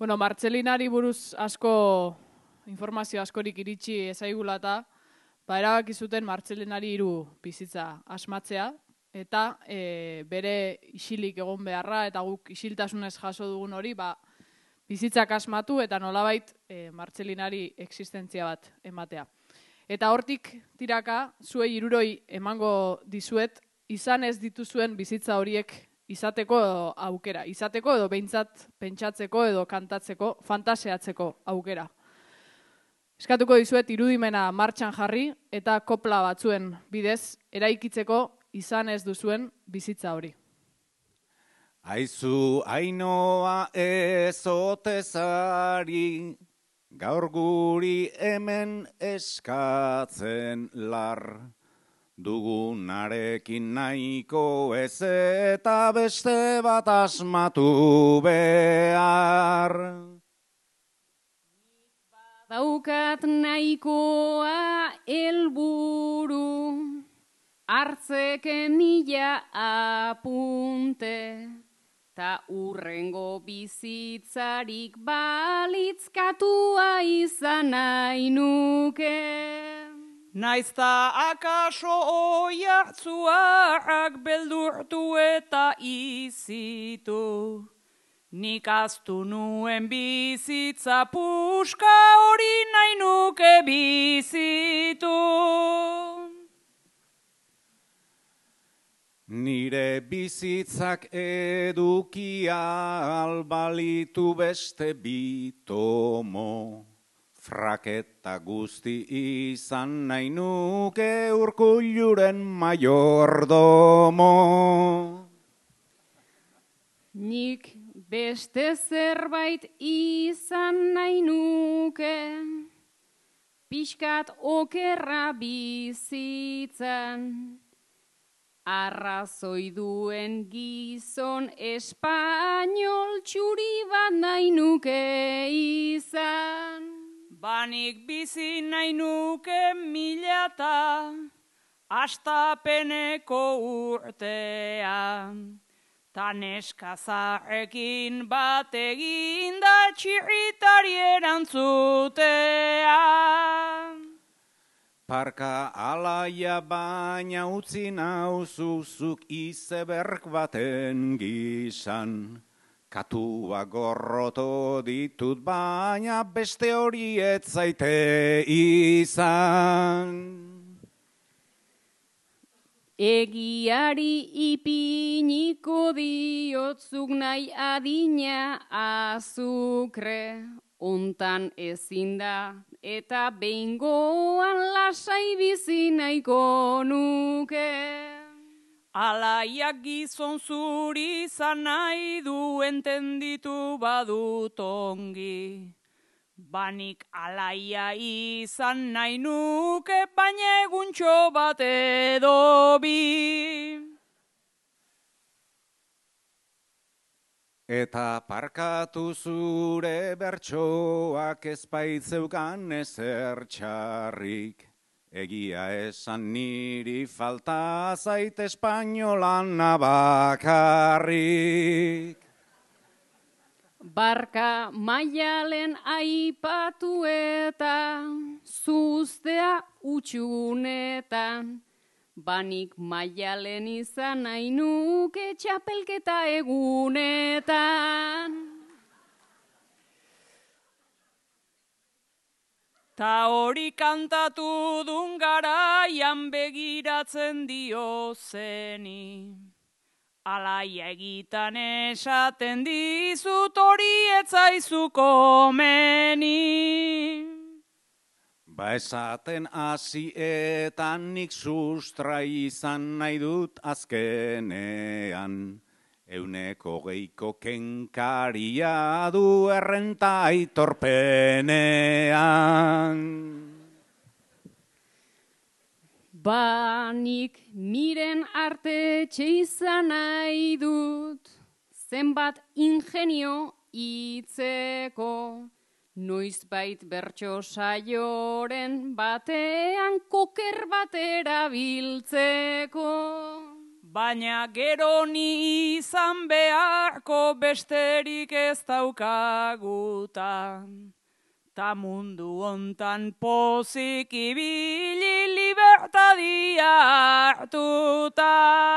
Bueno, Martxelinari buruz informazio askorik iritsi ezaigula eta erabaki zuten Martxelinari 3 bizitza asmatzea eta bere isilik egon beharra eta guk isiltasunez jaso dugun hori bizitzak asmatu eta nolabait Martxelinari existentzia bat ematea. Eta hortik tiraka zuei 3 emango dizuet izan ez dituzuen bizitza horiek izateko aukera, izateko edo behintzat pentsatzeko edo kantatzeko, fantaseatzeko aukera. Eskatuko dizuet irudimena martxan jarri eta kopla batzuen bidez eraikitzeko izan ez duzuen bizitza hori. Aizu Ainoa ezotezari, gaur guri hemen eskatzen lar. Dugunarekin nahiko ez eta beste bat asmatu behar. Daukat nahikoa helburu, hartzeken 1000 apunte, ta urrengo bizitzarik balitzkatua izan nahi nuke. Naizta akaso oiartzuak beldurtu eta izitu, nik aztu nuen bizitza puska hori nahi nuke bizitu. Nire bizitzak edukia albalitu beste bitomo. Fraketa guzti izan nahi nuke Urkulluren maiordomo. Nik beste zerbait izan nahi nuke, pixkat okerra bizitzan. Arrazoi duen gizon espainol txuri bat nahi nuke izan. Banik bizi nahi nuke 1000 eta astapeneko urtea. Ta neskazarekin bat egin da txirritari erantzutea. Parka alaia baina utzi nauzuzuk izeberg baten gizan. Katua gorroto ditut baina beste hori ez zaite izan. Egiari ipiniko diotzuk nahi adina azukre, ontan ezin da eta behingoan lasai bizi nahiko nuke. Alaiak gizon zuri izan nahi du entenditu badut ongi. Banik alaia izan nahi nuke baina eguntxo bat edo bi. Eta parkatu zure bertsoak ezpaitzeukan ezer txarrik. Egia esan niri falta zait espainolan bakarrik. Barka Maialen aipatu eta zuztea utxunetan. Banik Maialen izan nahi nuke txapelketa egunetan. Ta hori kantatu dun garaian begiratzen dio zeni. Alaia egitan esaten dizut hori etzaizu komeni. Ba esaten hasietan nik sustra izan nahi dut azkenean. 120ko kenkaria du errenta aitorpenean. Banik miren arte izan nahi dut, zenbat ingenio hitzeko, noizbait bertso saioren batean koker bat erabiltzeko. baina gero ni izan beharko besterik ez daukagutan. Ta mundu hontan pozik ibili libertadia hartuta.